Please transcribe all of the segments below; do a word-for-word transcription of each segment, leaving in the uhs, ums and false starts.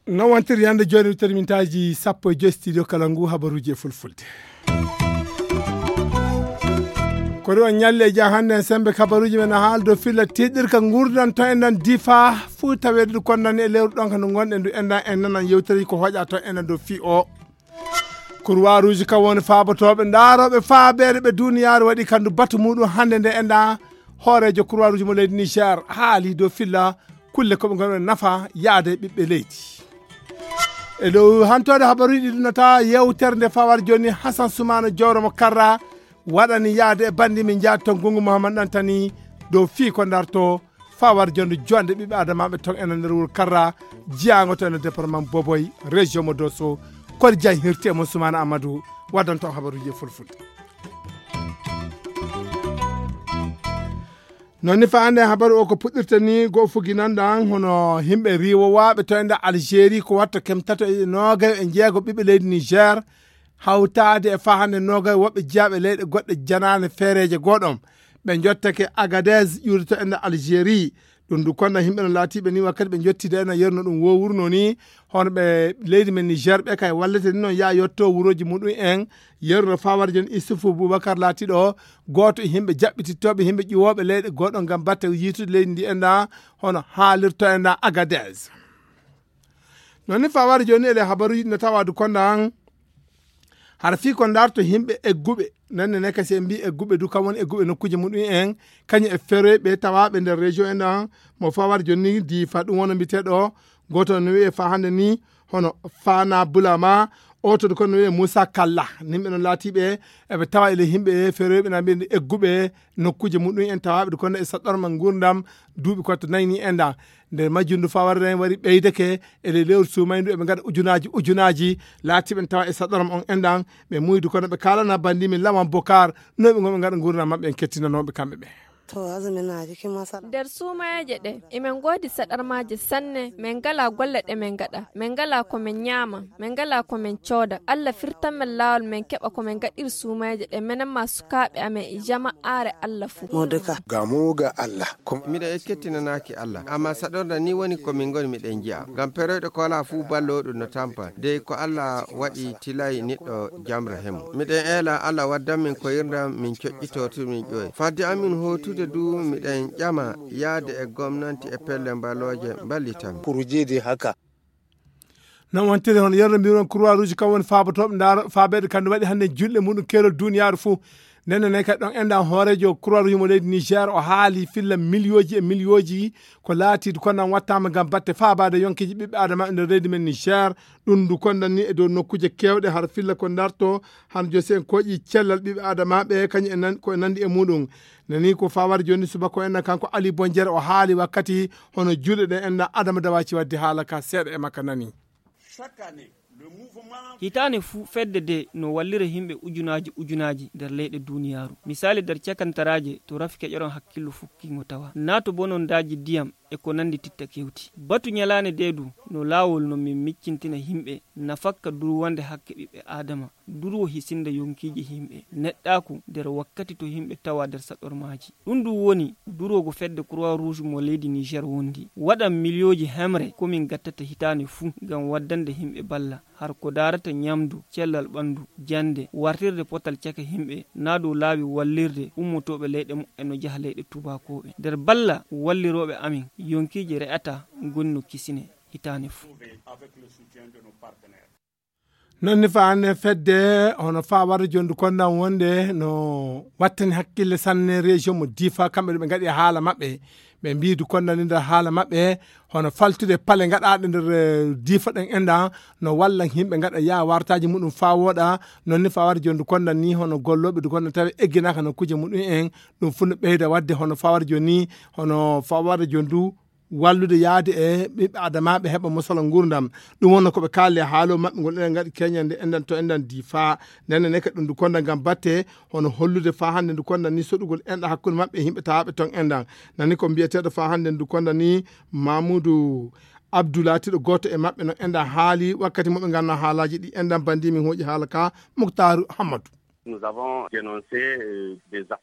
No wontiri yande jooni termintaaji sappo e joy studio kala ngu habaruuji e fulfulde. Ko ɗo on ñalli e jaa hannde en sembe kabaruuji men a haal dow filla tiiɗirka nguurdan to en nan difa fuu taweede ɗo konnani e lewru ɗon kano ngonɗen ndu enɗan en nanan yewtere ko hoƴa to en nan dow fii o. Kurwaa ruuji kam woni faabotooɓe ndaarooɓe faabeere ɓe duniyaaru waɗi kandu batu muɗum hannde nde enɗan hooreejo kurwaa ruuji mo leydi niger haali dow filla kulle ko ɓe ngoni nafa yaade ɓiɓɓe leydi. E dow hantoode habaruuji ɗi ɗunata yewtere nde fawar jooni hasan sumana jowro mo karra waɗani yaade e banndi min njaadi toon gungu mouhammad ɗantani dow fii ko ndarto fawar jonde jonde ɓiɓɓe adamaɓe toon ena nder wuro karra jiyago to ena département boboy région mo dosso kodi diagne hirti e mon sumana amadou waddanto habaruji e fulfulde. Noon ni fa hannde habaru o ko puɗɗirta ni go fuginanɗan hono yimɓe riwowaɓe to e nder algérie ko watta kem tato e nogayo e jeego ɓiɓɓe leydi niger hawtaade e fa hannde nogayo woɓɓe jeyaɓe leyɗe goɗɗe janaane feereeje goɗon ɓe jottake agadez ƴuuri to e nder algérie. Ɗum du konna yimɓe no laatiɓe ni wakkati ɓe jottide ena yerno ɗum wowurno ni hono ɓe leydi men niger ɓe kay wallete ni noon yaa yetto wuroji muɗum en yerno fawar jon issoufou boubacar laatiɗo gooto e yimɓe jaɓɓitittooɓe yimɓe ƴuwooɓe leyɗe gooɗo ngam batte yiitude leydi ndi enda hono haalirto enda agadez. Noon ni fawar jooni ele habaruji no tawadu konda an hara fii ko ndarto yimɓe egguɓe nanne ne kasi en mbi egguɓe du kam woni egguɓe nokkuji muɗum en kañum e feroyɓe tawaɓe nder région en ɗan mo fawar jonni difa ɗum wona mbiteɗo goto no wiye fa hande ni hono fana bulama oto du kono wiye moussa kalla nimɓe no laatiɓe eɓe tawa ele yimɓe feroyɓe na mbiye egguɓe nokkuji muɗum en tawaɓe du kono e saɗɗorma gurdam duuɓi ko to nayni en ɗan nder majjum du fawar en wari ɓeydeke ele lewru sumaydu eɓe ngaɗa ujunaji ujunaji laatiɓe tawa e saɗoram on enɗan ɓe muydu kono ɓe kalana bandi min lawan bokar noɓe goɓe ngaɗa gurdam maɓɓe en kettinanoɓe kamɓe ɓe. To azuminaji ki masala. Nder suumayeeje ɗe emin ngoodi saɗarmaaji sanne, min ngalaa golle ɗe min ngaɗa, min ngalaa ko min ñaama, min ngalaa ko min cooda. Allah firtan min laawol min keɓa ko min ngaɗiri suumayeeje ɗe minen maa sukaaɓe amen e jama'aare Allah fuu. Moduka. Gamo ga Allah. Ko miɗo ekketinanaaki Allah, ammaa saɗorda nii woni ko min ngoni miɗen nji'a. Ngam peroyɗo ko alaa fuu ballooɗo no tampa, dey ko Allah waɗi tilay niɗɗo jamra he mum. Miɗen eela Allah waddan min koyirndam min coƴƴitoo to min ƴoye. Fadde amin hootude du miɗen ƴama yaade e gomnanti e pelle mbalooje mballita min. Kurujidi haka. Non wontiri hono yerno mbiron croix rouge kam woni faabotooɓe ndaaro faabeede kamnde waɗi hannde julɗe muɗum keerol duniyaaru fuu. Nenne ne kadi ɗon enɗan hooreejo croix rouge mo leydi niger o haali filla miliyooji e miliyooji ko laatiidu kono nan wattaama ngam batte faabaade yonkeeji ɓiɓɓe adama e nder leydi men niger. Ɗum ndu kondan ni e dow nokkuuje keewɗe har filla ko ndarto han josi en kooƴi cellal ɓiɓɓe adamaaɓe kañum e nan ko e nanndi e muɗum. Nani ko fawar jooni subako enɗan kanko ali bonjere o haali wakkati hono juuɗe ɗen enɗan adama dawaci wadde haala ka seeɗa e makka nani. Hitaande fuu fedde de no wallira yimɓe ujunaaji ujunaaji nder leyɗe duniyaaru. Misaali nder cakantaraaje to rafi keƴoron hakkillo fukkingo tawa naa to bonondaaji ndiyam e ko nanndi titta kewti. Batu ñalaande de du no laawol no min miccintina yimɓe nafakka durwande hakke ɓiɓɓe aadama. Durwo hisinde yonkiiji yimɓe neɗɗaaku nder wakkati to yimɓe tawa nder saɗormaaji. Ɗum ɗum woni durwo go fedde croix rouge mo leydi niger wondi waɗan miliyooji hemre ko min gattata hitaande fuu ngam waddande yimɓe balla har ko daarata ñamdu, cellal ɓanndu, jannde, wartirde potal caka yimɓe naa dow laawi wallirde ummotooɓe leyɗe muɓɓen no jaha leyɗe tuubakooɓe. Nder balla wallirooɓe amin yonkiiji re'ata ngoni no kisine hitaande fuu. Non ni fa hannde fedde hono fa warde jondu kondan wonde no wattani hakkille sanne région mo difa kamɓe ɗo ɓe ngaɗi haala maɓɓe ɓe mbiidu konnani nder haala maɓɓe hono faltude pale gaɗaɗe nder difa ɗen enɗan no walla yimɓe gaɗa ya wartaji muɗum fa woɗa. Non ni fa warde jondu kondan ni hono golloɓe du kondan tawi egginaka no kuje muɗum en ɗum fu no ɓeyda wadde hono fa warde joni hono fa warde jondu wallude yaade e ɓiɓɓe adamaaɓe heɓa mosala nguurndam. Ɗum wonno ko ɓe kaalde haalo maɓɓe ngol enen ngaɗi keñande enɗan to enɗan difa. Nenne ne kadi ɗum ndu konda ngam batte hono hollude fa hannde ndu konda ni soɗugol enɗa hakkunde maɓɓe e yimɓe tawaaɓe toon enɗan. Nani ko mbiyeteeɗo fa hannde ndu konda ni mamoudou Abdou laatiiɗo gooto e maɓɓe no enɗan haali wakkati mo ɓe ngannoo haalaaji ɗi enɗan banndi min hooƴi haala ka. Muktaaru Hammadu.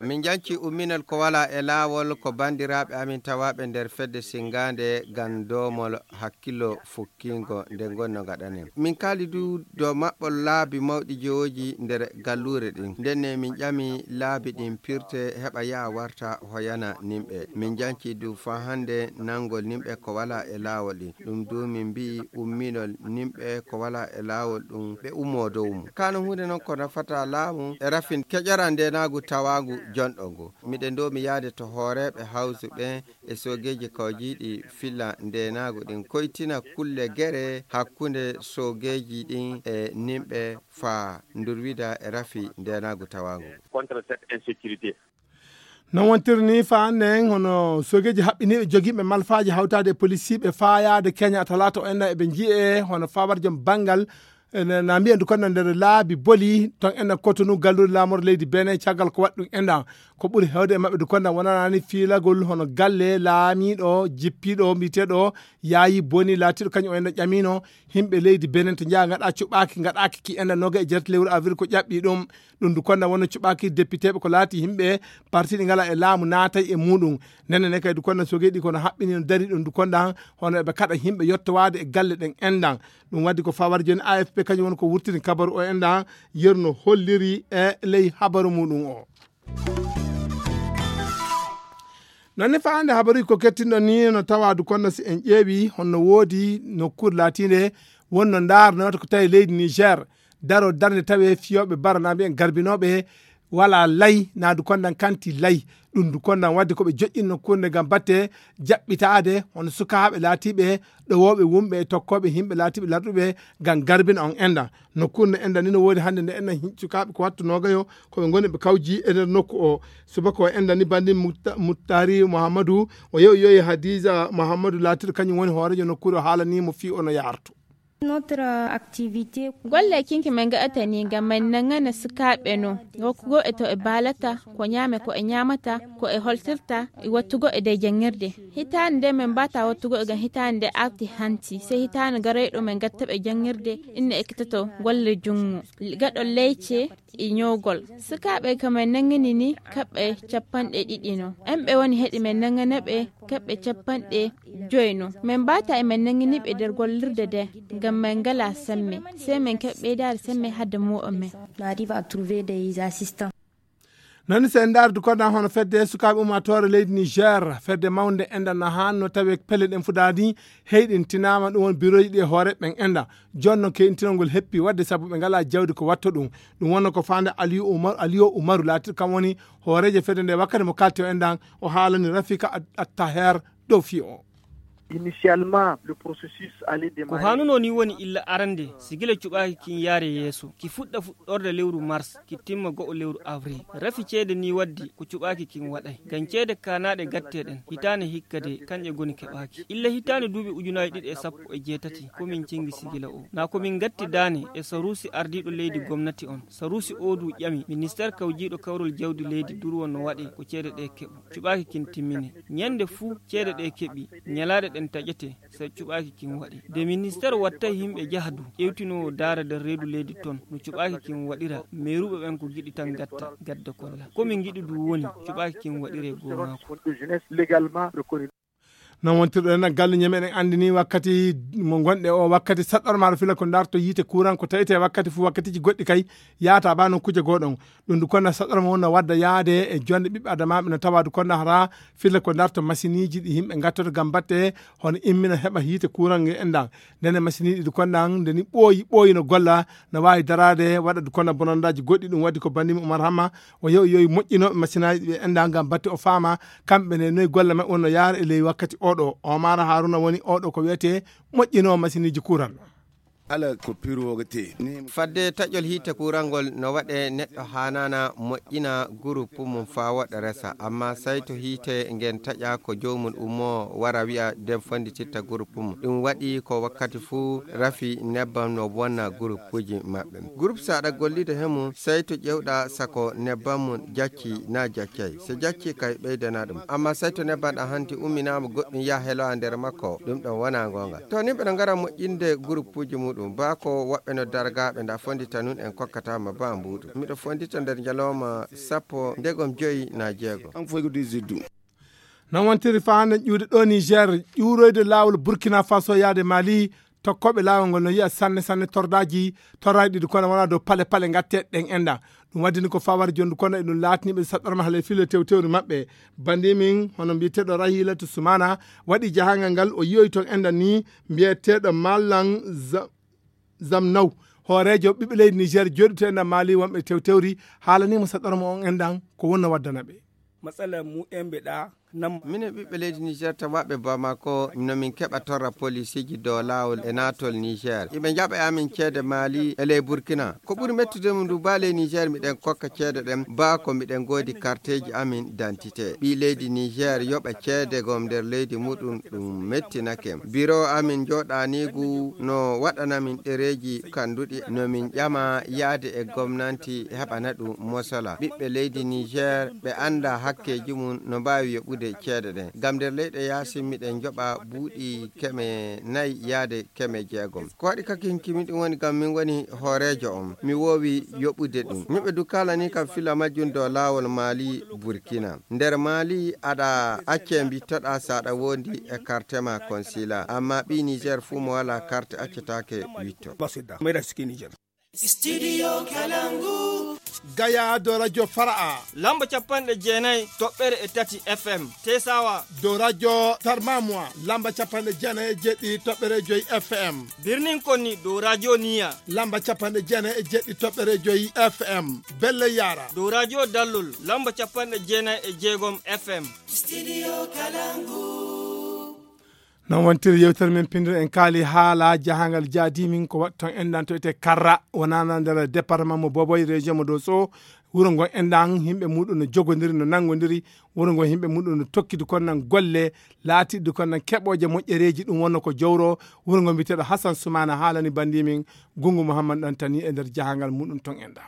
Min njanci umminol ko walaa e laawol ko banndiraaɓe amin tawaaɓe nder fedde sinngaande ngam doomol hakkillo fukkiingo nde ngonno ngaɗanen. Min kaali du dow maɓɓol laabi mawɗi jowooji nder galluure ɗin. Ndenne min ƴami laabi ɗin pirte heɓa yaha warta hoyana nimɓe. Min njanci du faa hannde nanngol nimɓe ko walaa e laawol ɗin. Ɗum du min mbi'i umminol nimɓe ko walaa e laawol ɗum ɓe ummoo dow mum. Kaa no huunde non ko nafata laamu e rafin keƴora ndeenaagu tawaagu jonɗo ngu. Miɗen doomi yahde to hooreeɓe hawsu ɓen e soogeeji kawjiiɗi filla ndeenaagu ɗin koytina kulle gere hakkunde soogeeji ɗin e nimɓe faa ndurwida e rafi ndeenaagu tawaagu. Non wontiri ni faa annden hono soogeeji haɓɓiniiɓe jogiiɓe malfaaji hawtaade e polisiiɓe faa yaade Keña talaata o enɗan eɓe njiyee hono faabar jom banngal na mbiya ndu konda nder laabi boli ton enɗan Kotonu galluure laamorde leydi Benin caggal ko waɗi ɗum enɗan ko ɓuri heewde e maɓɓe ndu konda wonanaani fiilagol hono galle laamiiɗo jippiiɗo mbiyeteeɗo Yaayi Boni laatiiɗo kañum o enɗan ƴamiino yimɓe leydi Benin to njaha ngaɗa cuɓaaki ngaɗaaki ki enɗan noga e jeetati lewru avril ko ƴaɓɓi ɗum. Ɗum ndu konda wonno cuɓaaki depiteeɓe ko laati yimɓe parti ɗi ngala e laamu naatay e muɗum. Nene ne kay ndu konda sogeeɗi kono haɓɓini no dari ɗum ndu konda hono eɓe kaɗa yimɓe yottowaade e galle ɗen enɗan. Ɗum waddi ko fawar jooni A F P kañum woni ko wurtini kabaru o enɗan yerno holliri e ley habaru muɗum o. Nonne faande habaruji ko kettinɗo ni no tawa du konno si en ƴeewi honno woodi nokkuure laatiinde wonno ndaar no wata ko tawi leydi Niger daro darnde tawe fiyooɓe baranaɓe en garbinooɓe wala lay na du kondan kanti lay. Ɗum du kondan wadde ko ɓe joƴƴin nokkuure nde ngam batte jaɓɓitaade hono sukaaɓe laatiiɓe ɗowooɓe wumɓe e tokkooɓe yimɓe laatiiɓe larɗuɓe ngam garbina on enɗan. Nokkuure nde enɗan ni no woodi hannde nde enɗan sukaaɓe ko wattu noogayo ko ɓe ngoni ɓe kawji e nder nokku o. Subaka o enɗan ni banndi Mutta- muttari muhammadu o yewi yoyi hadiza muhammadu laatiiɗo kañum woni hooreejo nokkuure o haalanii mo fii ono yaarto. Golle kinki men gaɗata ni ngam men nangana sukaaɓe no wokkugo e to e baalata ko ñaame ko e ñaamata ko e holtirta e wattugo e dey janngirde. Hitaande nde men mbaata wattugo e ngam hitaande nde arti hanti sey hitaande garoyɗo men gatta ɓe janngirde inne ekkitoto golle junngo gaɗo leyce e ñoogol. Sukaaɓe ko men nanngini ni kaɓɓe capanɗe ɗiɗi no en ɓe woni heɗi men nanngana ɓe kaɓɓe capanɗe joyi no. Men mbaata e men nanngini ɓe nder gollirde nde ngam men ngala semme sey men kaɓɓe ɓeydaade semme hadde mu'o men. Nani sen ndaardu koɗan hono fedde sukaaɓe ummaatoore leydi Niger fedde mawnde enɗan na hanno tawi pelle ɗen fudaadi heyɗintinaama ɗum won birooji ɗi e hoore ɓen enɗan. Jooni noon keyntinol ngol heppi waɗde sabu ɓe ngalaa jawdi ko waɗto ɗum. Ɗum wonno ko faande Aliyu Umaru Aliyu Umaru laatiiɗo kam woni hooreejo fedde nde wakkati mo kalti o enɗan o haalani Rafika Attaher dow fii o. Initialement le processus allait démarrer. Ko haanunoo nii woni illa arande si gila cuɓaaki kin yaare yeeso ki fuɗɗa fuɗɗorde lewru mars ki timma go'o lewru avril. Rafi ceede nii waddi ko cuɓaaki kin waɗay ngam ceede kaanaaɗe gattee ɗen hitaande hikka de kanƴe ngoni keɓaaki illa hitaande duuɓi ujunaaji ɗiɗi e sappo e jeetati ko min cengi si gila o na ko min ngatti daane e saruusi ardiiɗo leydi gomnati on. Saruusi oo du ƴami ministeer kawjiiɗo kawrol jawdi leydi durwo no waɗee ko ceede ɗee keɓo cuɓaaki kin timmine. Ñande fuu ceede ɗee keɓi ñalaaɗe ɗen taƴetee so cuɓaaki kin waɗee. De ministeer wattay yimɓe jaha du ƴewtinoowo daara nder reedu leydi ton no cuɓaaki kin waɗira meeruuɓe ɓen ko giɗi tan gatta gadda kolla ko min ngiɗi du woni cuɓaaki kin waɗiree goo maako. Non wontirɗo en galle ñeme eɗen anndi ni wakkati mo ngonɗe o wakkati saɗɗormaaɗo fila ko darto yiite kuran ko tawite wakkati fof wakkatiji goɗɗi kay yaata ba nokkuuje goɗon. Ɗum du konna saɗɗorma wonno wadda yaade e jonde ɓiɓɓe adamaaɓe no tawa du konna hara fila ko darto masiniji ɗi yimɓe gattoto ngam batte hono immina heɓa yiite kuran e endan. Ndene masiniɗi du konnan nde ni ɓooyi ɓooyi no golla no waawi daraade waɗa du konna bonondaji goɗɗi ɗum waɗi ko bandimi Umar Hamma o yewi yowi moƴƴinooɓe masinaaji ɗi ɓe enndaa ngam batte o faama kamɓe ne noy golle maɓɓe wonno yaara e ley wakkati oɗo. Omar Haruna woni oɗo ko wiyetee moƴƴinoowo masiniiji kuuran. Ala ko piroogete. Fadde taƴol hiite kurangol no waɗe neɗɗo haanana moƴƴina gurupu mum faa woɗa resa, amma sayto hiite ngen taƴa ko joomum ummoo wara wi'a nden fonndititta gurupu mum. Ɗum waɗi ko wakkati fuu rafi nebbam no wonna gurupuuji maɓɓe. Gurupu so aɗa gollida he mum, sayto ƴewɗa sako nebbam mum jacci naa jaccay. So jacci kay ɓeydana ɗum. Amma sayto nebbam ɗam hanti umminaama goɗɗum yaha heloa nder makko, ɗum ɗon wonaa goonga. To nimɓe no ngara moƴƴinde gurupuuji muɗum, baa ko woɓɓe no dargaaɓe nda fonndita nun en kokkataama baa mbuuɗu. Miɗo fonndita nder njalooma sappo ndegom joyi naa jeego. An foy ko dix-huit du. Non wontiri faa hannde ƴuwde ɗo Niger, ƴuuroyde laawol Burkina Faso yaade Mali, tokkooɓe laawol ngol no yi'a sanne sanne tordaaji, tordaaji ɗiɗi kono wonaa dow pale pale ngatte ɗen enda. Ɗum waddini ko fawar jondu kono eɗum laatini ɓe saɗɗorma haalay filo tewtewri maɓɓe. Bandi min, hono mbiyeteeɗo Rahilatu Sumana, waɗi jahangal ngal o yi'oy toon enda ni mbiyeteeɗo Malang Za-, Zamnaw. Hooreejo ɓiɓɓe leydi Niger jooɗi to enda Mali wonɓe tewtewri haalanii mo saɗɗorma on endan ko wonno waddana ɓe. Matsala mu yan bida nan. Minen ɓiɓɓe leydi Niger tawaaɓe Bamako no min keɓa torra polisiiji dow laawol e naatol Niger. Iɓe njaɓa e amin ceede Mali e ley Burkina. Ko ɓuri mettude mum ndu baa ley Niger miɗen kokka ceede ɗen baa ko miɗen ngoodi karteeji amin dantite. Ɓii leydi Niger yoɓa ceede gom nder leydi muɗum ɗum mettinake. Biro amin jooɗaniigu no waɗana min ɗereeji kanduɗi no min ƴama yaade e gomnanti heɓana ɗum mosola. Ɓiɓɓe leydi Niger ɓe annda hakkeeji mum no mbaawi yoɓude ceede ɗen. Ngam nder leyɗe yaasin miɗen njoɓa buuɗi keme nayi yaade keme jeegom. Ko waɗi kakinki min ɗum woni ngam min woni hooreejo on. Mi woowi yoɓude ɗum. Yimɓe du kaalanii kam fila majjum dow laawol Mali Burkina. Nder Mali aɗa accee mbittoɗaa so aɗa wondi e karte ma konsila. Amma ɓii Niger fuu mo walaa karte accetaake witto. Studio Kalangu. Gaya dow radio Fara'a. Lamba capanɗe jeenayi toɓɓere e tati F M. Tesawa. Dow radio Tarmamwa. Lamba capanɗe jeenayi e jeɗɗi toɓɓere joyi F M. Birnin Konni dow radio Niya. Lamba capanɗe jeenayi e jeɗɗi toɓɓere joyi F M. Belle Yara. Dow radio Dallol. Lamba capanɗe jeenayi e jeegom F M. Studio Kalangu. Non wontiri yewtere men pinndire en kaali haala jahangal jaadi min ko waɗi toon enɗan to ete Karra wonana nder département mo Boboy région mo Dosso. Wuro ngo enɗan yimɓe muɗum no jogodiri no nangodiri. Wuro ngo yimɓe muɗum no tokkidi kono nan golle laatiɗi kono nan keɓooje moƴƴereeji ɗum wonno ko jowro. Wuro ngo mbiyeteeɗo Hassan Soumana haalani bandi min Gungu Mouhammad ɗantani e nder jahangal muɗum toon enɗan.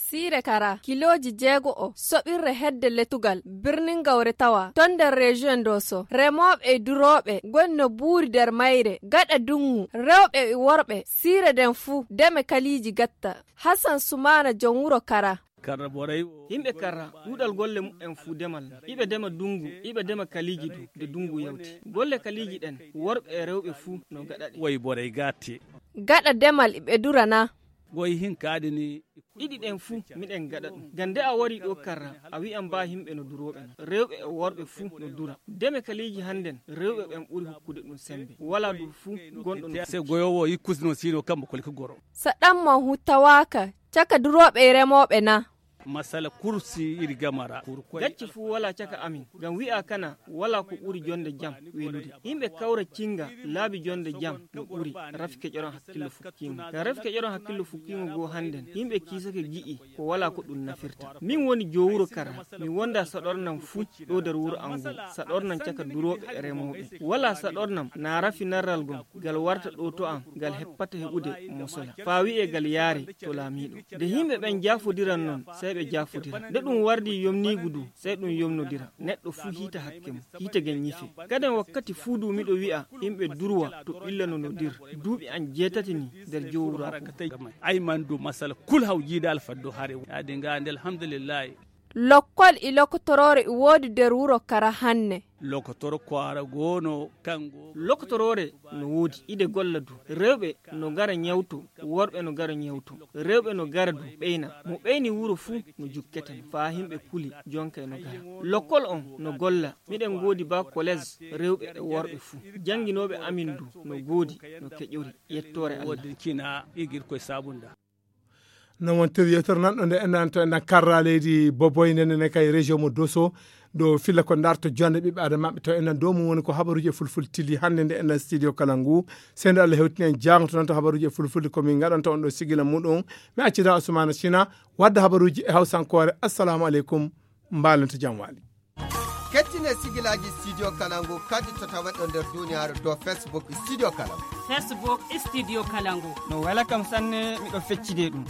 Siire Kara, kilooji jeego o, soɓirre hedde letugal, birnin gawre tawa, toon nder région Dosso, remooɓe e durooɓe, ngoni no buuri nder mayre, gaɗa dunngu, rewɓe e worɓe, siire nden fuu, deme kaliiji gatta. Hassan Sumaana, jom wuro Kara. Karra Boray o. Yimɓe Karra, ɗuuɗal golle muɓɓen fuu demal. Iɓe dema dunngu, iɓe dema kaliiji du, nde dunngu yawti. Golle kaliiji ɗen, worɓe e rewɓe fuu no gaɗa ɗe. Woy Boray gatti. Gaɗa demal iɓe durana. Goy hin kaadi ni. Ɗiɗi ɗen fuu miɗen gaɗa ɗum. Ngam nde a wari ɗo Karra, a wi'an ba yimɓe no durooɓe non. Rewɓe e worɓe fuu no dura. Deme kaliiji hannden, rewɓe ɓen ɓuri hokkude ɗum sembe. Walaa du fuu gonɗo no se goyoowo yikkusno sino kambo kolki goro. Saɗamma hu tawaaka caka durooɓe e remooɓe na? Masala kursi iri gamara. Gacce fuu walaa caka amin. Ngam wi'aa kana walaa ko ɓuri jonde jam welude. Yimɓe kawra cinga laabi jonde jam no ɓuri rafi keƴoron hakkillo fukkiingo. Ngam rafi keƴoron hakkillo fukkiingo goo hannden, yimɓe kiisake gi'i ko walaa ko ɗum nafirta. Min woni joo wuro Kara, mi wonda saɗornam fuu ɗo nder wuro am ngu, saɗornam caka durooɓe e remooɓe. Walaa saɗornam naa rafi narral ngon, ngal warta ɗo to am, ngal heppata heɓude mosola. Faa wi'ee ngal yaare to laamiiɗo. Nde yimɓe ɓen jaafondiran non, sey ɓe jaafondira. Nde ɗum wardi yomniigu du, sey ɗum yomnodira. Neɗɗo fuu hiita hakke mum, hiite gen nyife. Kaden wakkati fuu du miɗo wi'a, yimɓe durwa to ɓillano no dir. Duuɓi an jeetati ni nder joo wuro am. Ay man du masala kul haw jiida alfaddo hare. Yaadi nga nde alhamdulillahi. Lokkol e lokotoroore e woodi nder wuro Kara hanne. Lokotoro kwaara goono kango. Lokotoroore no woodi, ide golla du. Rewɓe no ngara nyawto, worɓe no ngara nyawto. Rewɓe no ngara du ɓeyna. Mo ɓeyni wuro fuu no jukketeno. Faa yimɓe kuli, jonkay no ngara. Lokkol on no golla. Miɗen ngoodi ba kolees rewɓe e worɓe fuu. Jannginooɓe amin du no ngoodi, no keƴori. Yettoore Allah. Woodin kina igir koye saabunda. Non wontir yewtere nan ɗo nde enɗan to enɗan karra leydi boboy nde nde kay région mo Dosso. Ɗo filla ko darto jonde ɓiɓɓe adama maɓɓe to enɗan dow mum woni ko habaruji e fulfulde tilli hannde nde enɗan studio kala ngu. Sendo Allah hewtini en jangoto noon to habaruji e fulfulde ko min ngaɗanta on ɗo sigila muɗum. Mi accita Ousmane Sina wadda habaruji e hawsankoore. Assalamu aleykum. Mbalenta jam waali. Kettine sigilaji studio kala ngu kadi to tawa ɗo nder duniyaaru dow Facebook studio kala ngu. Facebook studio kala ngu. No wela kam sanne miɗo feccide ɗum.